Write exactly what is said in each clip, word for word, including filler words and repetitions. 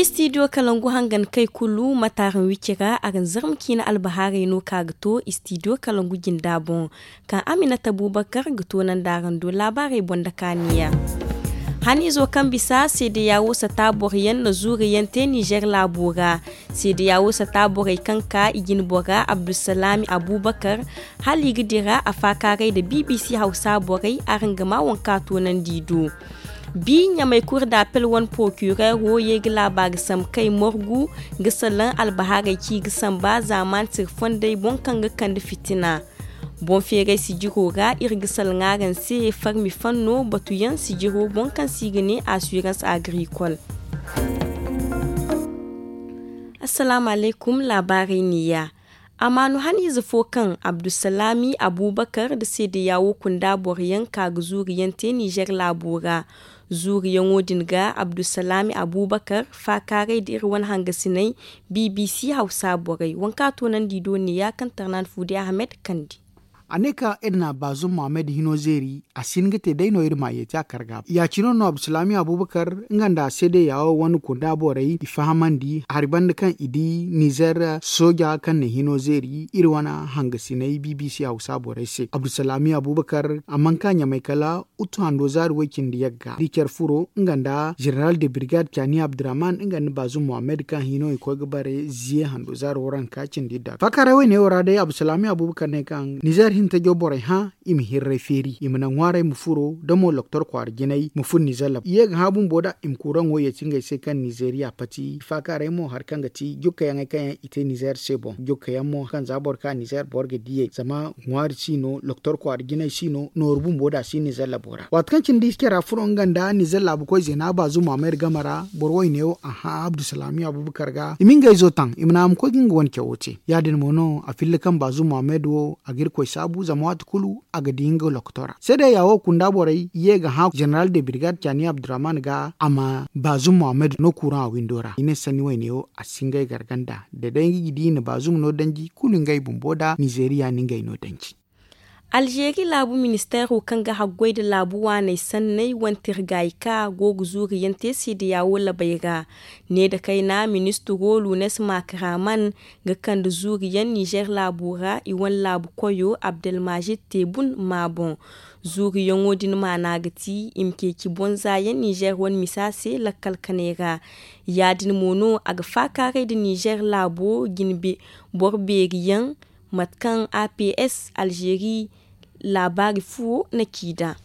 Istidiyo kalangu hangan kay kulu mataaraŋ wicci ra araŋ zarma ciina albahaarey no ka ga to istidiyo kalangu jinda boŋ. Kaŋ aminata bubakar ga to nanda araŋ do laabaarey boŋ da kaaniya. Haniizo kaŋ bisa seedeya wo sata boro yaŋ na zuuri yaŋ te nizer laabo ra. Seedeya wo sata borey kaŋ ka i jine bora abdulsalaami abubakar, hala i ga dira a faakaaray nda bbc hawsa borey araŋ ga ma waŋ kaŋ a toonandi i do. Bi ɲamay kuri da apel wane porokireero ye ga laabaari sambu kay morgu ga salaŋ albahaarey ci ga samba zaamaani siri fondey boŋ kaŋ ga kande fitina. Boŋ feeray sijiro ra iri ga salaŋ araŋ se farmi fanno batuyaŋ sijiro boŋ kaŋ se i ga ne assurance agricole. Assalaamu alaykum. Laabaarey neeya. Amaanu haniize fo kaŋ abdulsalaami abubakar nda seedeya wo kunda boro yaŋ ka ga zuuri yaŋ te nizer laabo ra. Zuuriyaŋo din ga abdulsalaami abubakar faakaaray nda iri wane hangasiney bbc hawsa borey waŋ kaŋ a toonandi i do neeya kaŋ tarnaani fuudi ahmed kandi. A ne kaŋ iri na baazum mohammed hino zeeri a si hin ga te day no iri ma yeeti a kar ga. Ya-cine no abdulsalaami abubakar nga nda seedeya wo wane kunda borey i fahamandi hari banda kaŋ i di nizer sooja kaŋ na hino zeeri iri wane hangasiney bbc hawsa borey se abdulsalaami abubakar a mana ka ɲamay kala utu hando zaari way-cindi yagga da i care furo nga nda zeneral de birgad cani abdurrahman nga nda baazum mohammed kaŋ hino i koy ga bare ziye hando zaari waranka cindi idda faakaaray wayne wo ra day abdulsalaami abubakar ne kaŋ nizer hintajo borey hã i ma hirray feeri i ma naŋ ŋwaaray ma furo da mo loktor kwaara jinay ma furo nizer labu i ye ga hã bumbo nd'a i ma kuuraŋo yeeti ngey se kaŋ nizeriya pati faakaaray mo hari kaŋ ga ti jukkayaŋey kaŋ yaŋ i te nizer se boŋ jukkayaŋ mo kaŋ za boro ka nizer boro ga diyey zama ŋwaari si no loktor kwaara jinay si no nooru bumbo nd'a si nizer labo ra waati kaŋ cine da i si care a furo nga nda nizer laabu koy zeena baazum mohammed game ra boro wayne wo a hã abdulsalaami abubakar ga i ma ngey zo taŋ i ma ne a ma koy ga nga wane cawo te ya-din mo no a filla kaŋ baazum mohammed wo a ga irkoy saabu zama waati kulu a ga di nga loktora seedeya wo kunda borey ye ga hã zeneral de birgad cani abdurrahman ga a ma baazum mohammed no kuuraŋ a windo ra i ne sanni wayne wo a si ngey garganda da day nga ga di i na baazum no danji kulu ngey bumbo nda nizeriya no ngey no danji. Alzeeri laabu ministeero kaŋ ga haggoy nda laabu waaney sanney wane tirgaayi ka go ga zuuriyaŋ te seedeya wo labey ra. Ne nda kayna ministiro lunes makraman ga kande zuuriyaŋ nizer laabo ra i wane laabu koyo abdelmajid tebun ma boŋ. Zuuriyaŋo din maana ga ti i ma ceeci boŋ za yaŋ nizer wane misa se lakkal kanay ra. Ya-din mo no a ga faakaaray nda nizer laabo jine boro beeri yaŋ mate kaŋ aps alzeeri laabaari fuwo na ci nd'a.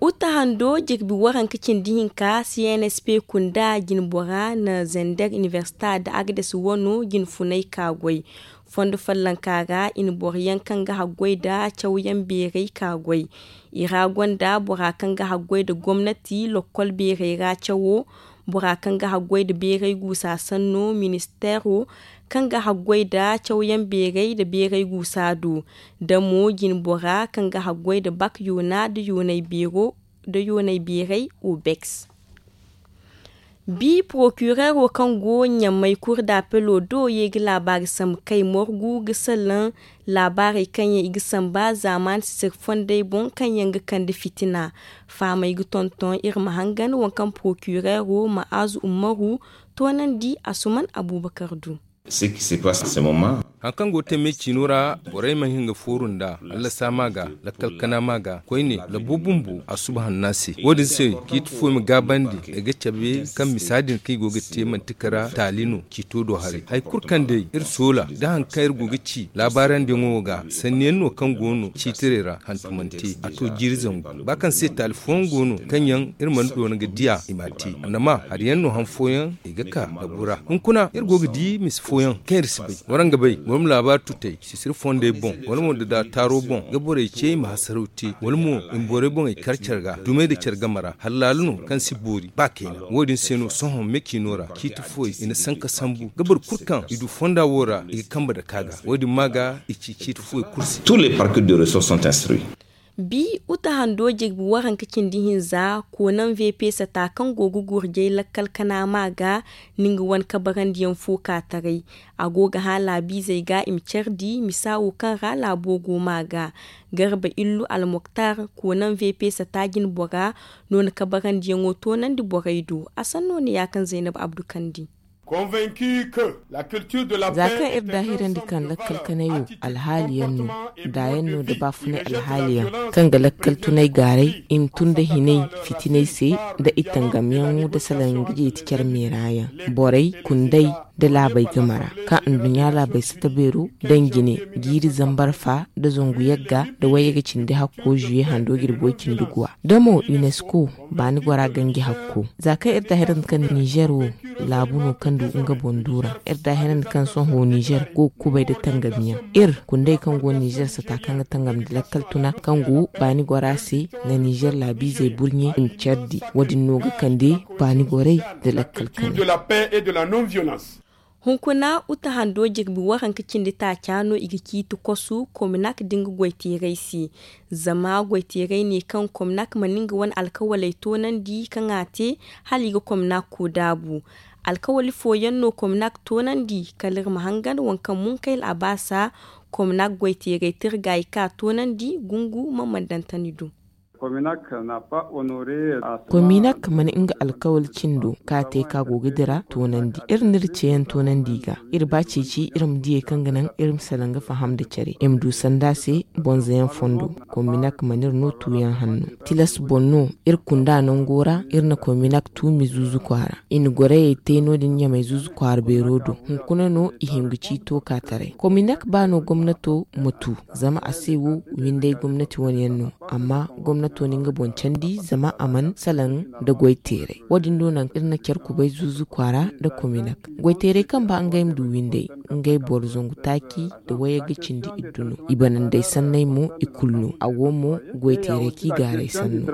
Uta hando jirbi waranka cindi hinka cnsp kunda jinbora na zander inibersita nda agdes wano jinfunay ka goy. Fondo follonka ra i na boro yaŋ kaŋ ga haggoy nda cawyaŋ beeray ka goy. I ra gonda bora kaŋ ga haggoy nda gomnati lokkol beeray ra cawo, bora kaŋ ga haggoy nda beeray guusa sanno ministeero kaŋ ga haggoy nda cawyaŋ beeray nda beeray guusa do, da mo jinbora kaŋ ga haggoy nda bak yoona nda yoonay beeray obeks. Bi porokireero kaŋ go ɲamay kuri da apelo do ye ga laabaari sambu kay morgu ga salaŋ laabaarey kaŋ yaŋ i ga samba zaamaani sisiri fondey boŋ kaŋ yaŋ ga kande fitina. Fahamey ga tonton iri ma hangan waŋ kaŋ porokireero ma'azu ummaru toonandi asuman abubakar du. Haŋ kaŋ go ga te me ciino ra borey mana hin ga fooru nd'a, allasa ma ga, lakkal kana ma ga koyne, labo bumbo a suba hanna se. Wo- din se ciiti fo i ma gaabandi ay ga cabe kaŋ misa din kaŋ i go ga te manti kara taali no ciito do haray. Hari kulu kaŋ day iri soola nda hari kaŋ iri go ga ci laabaarandi yaŋo ga sanni yaŋ no kaŋ go no ciitirey ra hantumante a to jiiri zangu ba kaŋ se taali fooyaŋ go no kaŋ yaŋ iri mana doona ga diya i m'a te. Annama hari yaŋ no han fooyaŋ i ga ka labu ra hunkuna iri go ga di misa fooyaŋ kaŋ iri si bay waraŋ ga bay wala ma laabaari tutey sisiri fondey boŋ wala mo nda daataaro boŋ ga borey ce i ma hasaraw te wala mo i ma borey boŋey kar care ga dumey nda care game ra hala laala no kaŋ si boori ba kayna. Wo- din se no sohõ me ciino ra ciiti fooyey i na sanka sambu ga boro kulu kaŋ i du fonda wo ra i ga kambe nda ka ga wo- din ma ga i ci ciiti fooyey kulu se. Tous les parquets de ressorts sont instruits. Bi uta hando jirbi waranka cindi hinza, koonaŋ vp sata kaŋ go ga gurjay lakkal kana ma ga, ni nga wane kabarandiyaŋ fo ka taray. A go ga hã laabiizey ga i ma care di misa wo kaŋ ra laabo go ma ga. Garba illu almoktar, koonaŋ vp sata jinbora, no na kabarandiyaŋo toonandi borey do. A sanno ne ya kaŋ zaynab abdu kandi. Za kaŋ iri daahirandi kaŋ lakkal kanay wo alhaaliyaŋ no, daayaŋ no nda baafunay alhaaliyaŋ, kaŋ ga lakkal tunay gaaray i ma tun nda hinay fitinay se, nda i tangamyaŋo nda salaŋ ga jeeti care meera yaŋ, borey, kundey, nda laabey game ra, kaŋ anduɲɲa laabey sata beero daŋ jine, jiiri zambar fa nda zangu yagga nda wayye ga cindi hakko zuye hando jirbi way cindi guwa. Da mo unesco, baani gora ganji hakko, za kaŋ iri daahirandi kaŋ nizer wo laabu no kaŋ du nga boŋ duura. Iri daahirandi kaŋ sohõ nizer go ga kubay nda tangamiyaŋ. Iri kundey kaŋ go nizer sata kaŋ ga tangam nda lakkal tuna kaŋ go baani gora se, nda nizer laabiizey burɲe i ma care di. Wo- din no ga kande baani gorey nda lakkal kanay. Hunkuna uta hando jirbi waranka cindi taaca no i ga ciiti kosu kominak da nga goyteerey se. Zama goyteerey ne kaŋ kominak mana nga wane alkawaley toonandi kaŋ a te, hala i ga kominak ko daabu. Alkawali fooyaŋ no kominak toonandi kala iri ma hangan waŋ kaŋ munkayl a baasa, kominak goyteerey tirgaayi ka toonandi gungu ma mandantani do. Kominak mana nga alkawal cindo ka te ka go ga dira toonandi. Iri n'iri ceeyaŋ toonandi i ga. Iri ba ceeci iri ma diyey kaŋ ga naŋ iri ma salaŋ ga faham nda care i ma du sanda se. Bonzoyaŋ fondo, kominak mana iri no tuuyaŋ hanno. Tilas boŋ no iri kunda nango ra iri na kominak tuumi zuuzu kwaara. I na gorayey te no- din ɲamay zuuzu kwaara beero do. Hunkuna no i hin ga ciito ka taray kominak ba no gomnato ma tu. Zama a se wo windey gomnati wane yaŋ no. Amma gomnato na nga boŋ candi zama a mana salaŋ nda goyteeray. Wo- din do naŋ iri na care kubay zuuzu kwaara nda kominak. Goyteeray kaŋ ba ngey ma du windey, ngey boro zangu taaci nda wayey ga cindi iddu no. I banandey sanney mo i kulu no. A wo mo goyteeray kaŋ i gaaray sanno.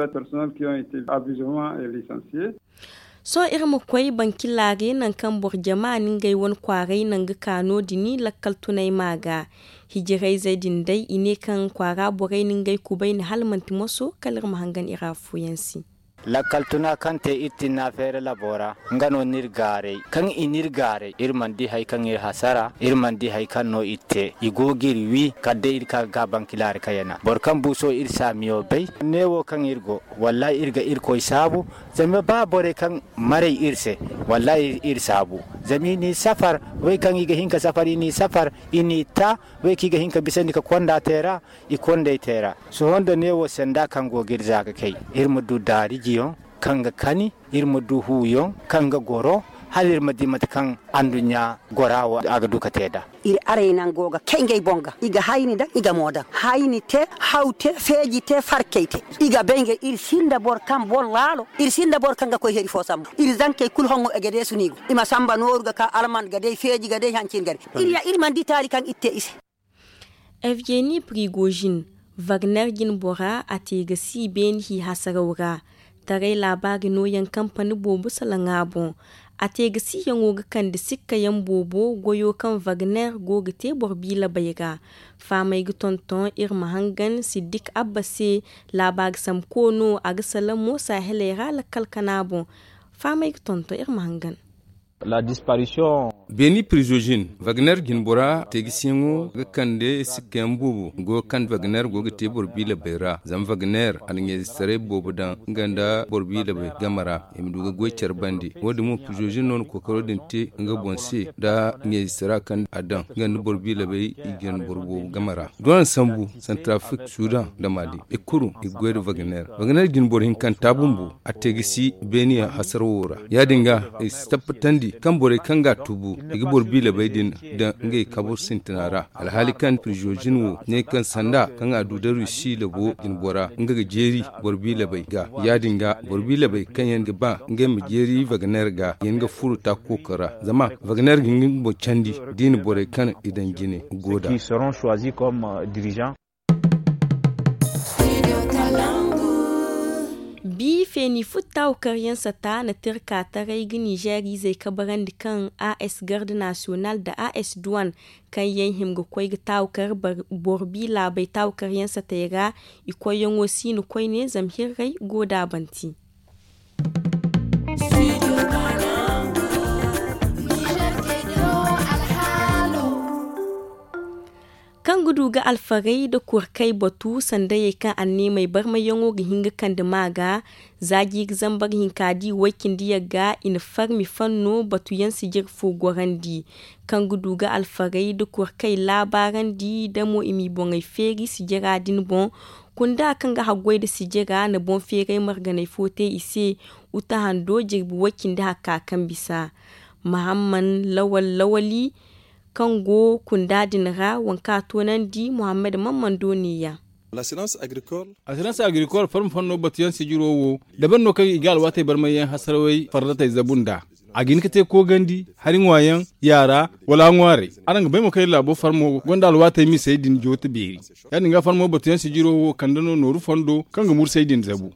Sohõ iri ma koy bankilaari naŋ kaŋ boro jama na ngey wane kwaaray naŋ ga ka no- din lakkal tunay ma ga. Hijirayzey din day i ne kaŋ kwaara borey na ngey kubay na hala manti moso kala iri ma hangan iri afooyaŋ se. Lakkal tuna kaŋ te iri tinna feere labo ra, nga no n'iri gaaray. Kaŋ i n'iri gaaray iri mana di hari kaŋ iri hasara, iri mana di hari kaŋ no iri te. I go ga iri wi kala day iri ka ga ka bankilaari kayana boro kaŋ buuso iri saamiyo bay. Neewo kaŋ iri go, wallahi iri ga irkoy saabu. Zama ba borey kaŋ maray iri se, wallahi iri saabu. Zama i n'i safar, wey kaŋ i ga hin ka safar i n'i safar, i n'i ta. Wey kaŋ i ga hin ka bisandi ka konda te ra, i kond'ey te ra. Sohõ nda neewo sanda kaŋ go ga iri za ga kay, iri ma du daarijiyaŋ kaŋ ga kani, iri ma du huuyaŋ kaŋ ga goro, hala iri ma di mate kaŋ anduɲɲa gora wo a ga du ka te nd'a. Iri arey nango ga kay ngey boŋ ga i ga hayni daŋ i ga mo daŋ, hayni te, haw te, feeji te, farkey te. I ga bay ngey iri sinda boro kaŋ boro laalo, iri sinda boro kaŋ ga koy hari fo sambu. Iri zankey kulu hongo e ga deesu no i go, i ma samba nooru ga ka alman ga day feeji ga day hancin ga day. Iri ya iri mana di taali kaŋ iri te i se. Evgeni prigozhin, wagner jinbora a te ga si beeni hi hasaraw ra. Taray laabaari nooyaŋ kampani boobo salaŋ a boŋ. A te ga siyaŋo ga kande sikkayaŋ boobo goyo kaŋ wagner go ga te boro biilabay ra. Faamay ga tonton iri ma hangan siddik abba se. Laabaari samko no a ga salaŋ mo saaheley ra lakkal kana boŋ. Faamay ga tonton iri ma hangan. Beeni prizozin wagner jinbora teegisiyaŋo ga kande sikkayaŋ boobo go ga kande wagner go ga te boro biilabay ra zama wagner a na ɲeezistaray boobo daŋ nga nda boro biilabay game ra i ma du ga goy care bande. Wo- din mo prizozin no na kookaro din te nga boŋ se nda ɲeezistara kaŋ a daŋ nga nda boro biilabay i jin boro boobo game ra. Doona sambu santrafrik sudan nda mali i kulu i ga goy nda wagner. Wagner jin boro hinkanta bumbo a te ga si beeniya hasara wo ra. Ya- din ga i si tabbatandi kaŋ borey kaŋ ga a tubu i ga boro biilabey din daŋ ngey kabu sintina ra. Alhaali kaŋ prizozin wo ne kaŋ sanda kaŋ a du da rusi labo jin bora nga ga jeeri boro biilabey ga. Ya- din ga boro biilabey kaŋ yaŋ ga ba ngey ma jeeri wagner ga yaŋ ga furo taako kooko ra zama wagner ga nga boŋ candi da i na borey kaŋ i daŋ jine go da. Bi feeni futtaw karyaŋ sata na tirka taray ga nizeer izey kabarandi kaŋ as garde nasiyonal nda as duwan kaŋ yaŋ hima ga koy ga taawkar boro bi laabey taawkaryaŋ satey ra. I koyyaŋo si no koyne zama hirrey go da a banti. Kaŋ ga du ga alfarey nda kurkey batu sandayey kaŋ anneemey barmayyaŋo ga hin ga kande ma ga. Za jiiri zambar hinka di way cindi yagga i na farmi fanno batuyaŋ sijir fo gorandi kaŋ ga du ga alfarey nda kurkey laabaarandi da mo i m'i boŋey feeri sijira din boŋ. Kunda kaŋ ga haggoy nda sijira na boŋ feeray marganey fo te i se. Uta hando jirbi way cindi hakka kaŋ bisa mahamman lawal lawali kaŋ go kunda din ra waŋ kaŋ a toonandi muhammad mammando neeya. Asirans agrikol farma fanno batuyaŋ sijiro wo dabar no kaŋ i ga alwaatey barmayyaŋ hasarawey fardatey zabu nd'a. A ga hin ga te koogandi hari ŋwaayaŋ yaara wala a ŋwaarey. Araŋ ga bay mo kaŋ iri laabo farmo gonda alwaatey misey din joote beeri. Ya- din ga farmo batuyaŋ sijiro wo kande no nooru fondo kaŋ ga mursay din zabu.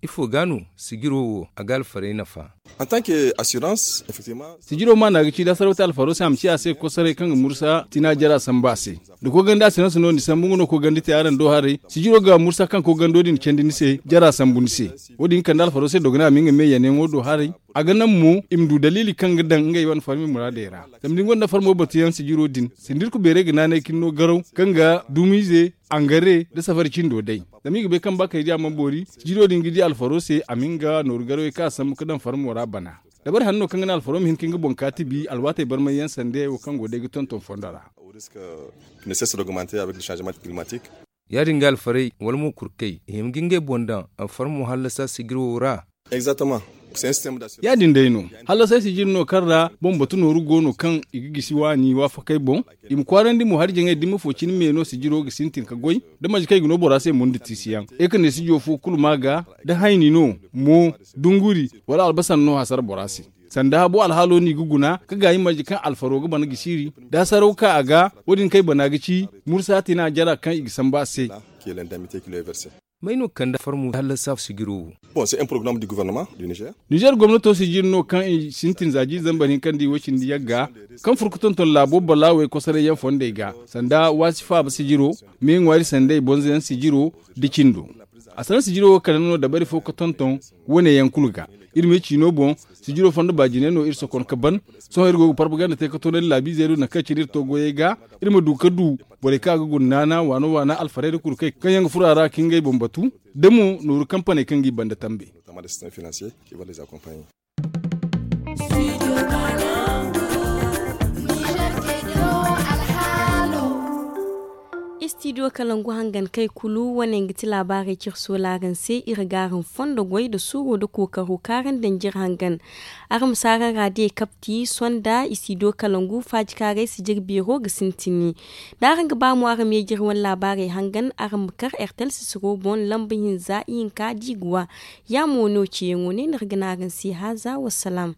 Ifo ga no sijiro wo a ga alfarey nafa? Sijiro maana ga ci da sarwati alfaro se a ma ci a se kosoray kaŋ ga mursa tina jara sambu a se. Da koogandi asirans no ni sambu nga no koogandi te araŋ do haray sijiro ga mursa kaŋ koogando din candi ni se jara sambu ni se. Wo- din kande alfaro se dogonay a ma nga me yanayaŋo do haray. A ga naŋ mo i ma du daliili kaŋ ga daŋ ngey wane farmi muraadey ra. Zama da ni gonda farmo batuyaŋ sijiro din sindirku beeray ga naanay kaŋ no garaw kaŋ ga dumiize angare nda safari cindo day. Zama i ga bay kaŋ ba kay di a mana boori sijiro din ga di alfaro se a ma nga nooru garawey kaŋ a sambu ga daŋ farmo ra bana. Dabari hanno kaŋ ga naŋ alfaro ma hin ka nga boŋ kaati bi alwaatey barmayyaŋ sanda wo kaŋ go day ga tonton fondo ra. Ya- din ga alfarey wala mo kurkey i hima ga ngey boŋ daŋ farmo hallasa sijiro ra. Ya- din day no. Hallasay sijir no kaŋ ra boŋ batu nooru go no kaŋ i ga gisi waani waafakey boŋ. I ma kwaarandi mo hari jaŋey da ni ma fo cine me no sijiro ga sintin ga goy da manci kaŋ i ga no bora se mo nda tiisiyaŋ. Ay ka ne sijo fo kulu ma ga da hayni no mo dunguri wala albasan no hasara bora se. Sanda habo alhaalo no i ga guna ga gaayi marje kaŋ alfaro ga bana ga siiri da hasaraw ka a ga. Wo- din kaŋ ay bana ga ci mursa tina jara kaŋ i ga sambu a se. May no ga kande farmo hallasa sijiro wo? Nizer gomnato sijir no kaŋ i sintin za jiiri zambar hinka nda i way cindi yagga kaŋ furo ga tonton laabo balaawey kosoray yaŋ fondey ga sanda waasi faaba sijiro me ŋwaari sanday bonzo yaŋ sijiro da cindo. A sanda sijiro wo kala no dabari fo ga tonton wane yaŋ kulu ga. Iri me ciino boŋ sijiro fondo baajinay no iri sokon ga ban. Sohõ iri go ga parpaganda te ga toonandi laabiizey do nangu kaŋ cine iri to goyey ga iri ma du ga du borey kaŋ a ga guna naana waana waana alfarey nda kurkey kaŋ yaŋ ga furo a ra ga ngey boŋ batu da mo nooru kampaney kaŋ g'i banda tambe. Istidiyo kalangu hangan kay kulu wane nga ti laabaarey cire soolaaraŋ se iri ga araŋ fondo goy nda suuro nda kookaro kaarandi nda jire hangan. Araŋ ma si araŋ raadiyo kapti sonda istidiyo kalangu faajikaaray si jire beero ga sintini. Da araŋ ga ba mo araŋ ma ye jire wane laabaarey hangan araŋ ma kar ertel sisiro boŋ lamba hinza ihinka da i ga wa. Ya mo no ceeyaŋo ne no iri ga ne araŋ se haaza wassalaam.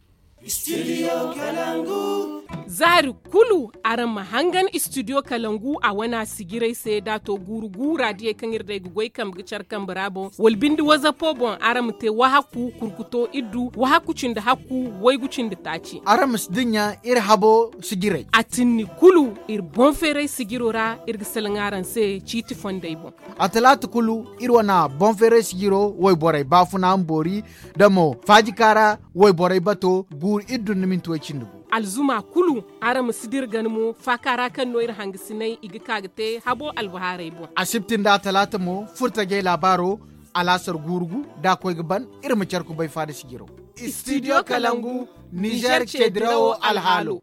Zaari kulu araŋ ma hangan istidiyo kalangu a wana sijiray se da a to guuru guura diyey kaŋ iri day ga goy kambe ga care kambe ra boŋ wala binde wazapo boŋ araŋ ma te wahakku kurkuto iddu wahakku cindi hakku waygu cindi taaci. Araŋ ma si dinya iri habo sijiray a tinni kulu iri boŋ feeray sijiro ra iri ga salaŋ araŋ se ciiti fondey boŋ. A talaata kulu iri wana boŋ feeray sijiro wayborey baafuna ma boori da mo faajikaara wayborey bato guuru iddu nda minti way cindi gu. Alzuma kulu araŋ ma si dira gana mo faaka ra kaŋ no iri hangasinay i ga ka ga te habo albahaarey boŋ. Asibti nda atalaata mo furtajey laabaaro alaasar guuru gu da a koy ga ban iri ma care kubay faada sijiro. Istidiyo kalangu nizer ceedirawo alhaalo.